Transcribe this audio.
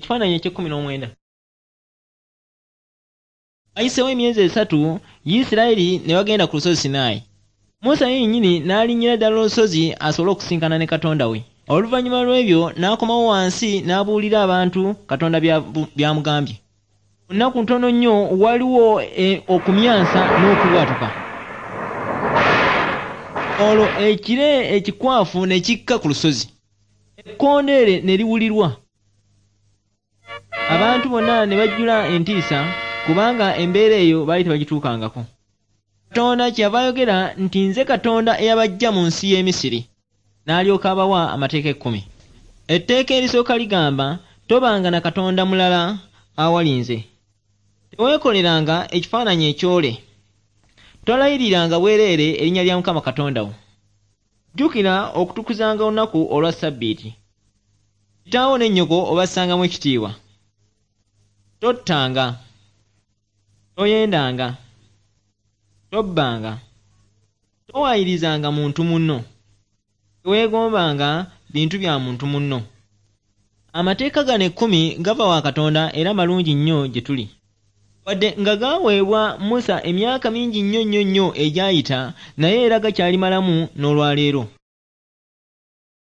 Ekifaananyi eky'ekumi n'omwenda. Wayiseewo emyezi 3, Isirayiri ne bagenda ku lusozi Sinaayi. Musa yennyini n'alinnyira ddala olusozi asobole okusisinkana ne Katonda we. Oluvannyuma lw'ebyo n'akomawo wansi n'abuulira abantu Katonda by'amugambye. Mu nnaku ntono nnyo waliwo okumyansa n'okubwatuka. Olwo ekire ekikwafu ne kikka ku lusozi. Ekkondeere ne liwulirwa. Abantu bonna ne bajjula entiisa kubanga embeera eyo baali tebagituukangako. Katonda kyeyava ayogera nti, "Nze Katonda eyabaggya mu nsi y'e Misiri," n'alyoka abawa amateeka 10. Etteeka erisooka ligamba, "Tobanga na Katonda mulala awali nze. Teweekoleranga ekifaananyi ekyole. Tolayiriranga bwereere erinnya lya Mukama Katonda wo. Jjukira okutukuzanga olunaku olwa Ssabbiiti. Kitaawo ne nnyoko obassangamu ekitiibwa. Tottanga. Toyendanga. Tobbanga. Towaayirizanga muntu munno. Teweegombanga bintu bya muntu munno." Amateeka gano 10 gava wa Katonda era malungi nnyo gye tuli. Wadde nga gaaweebwa Musa emyaka mingi nnyo nnyo nnyo egyayita, naye era gakyali malamu n'olwaleero.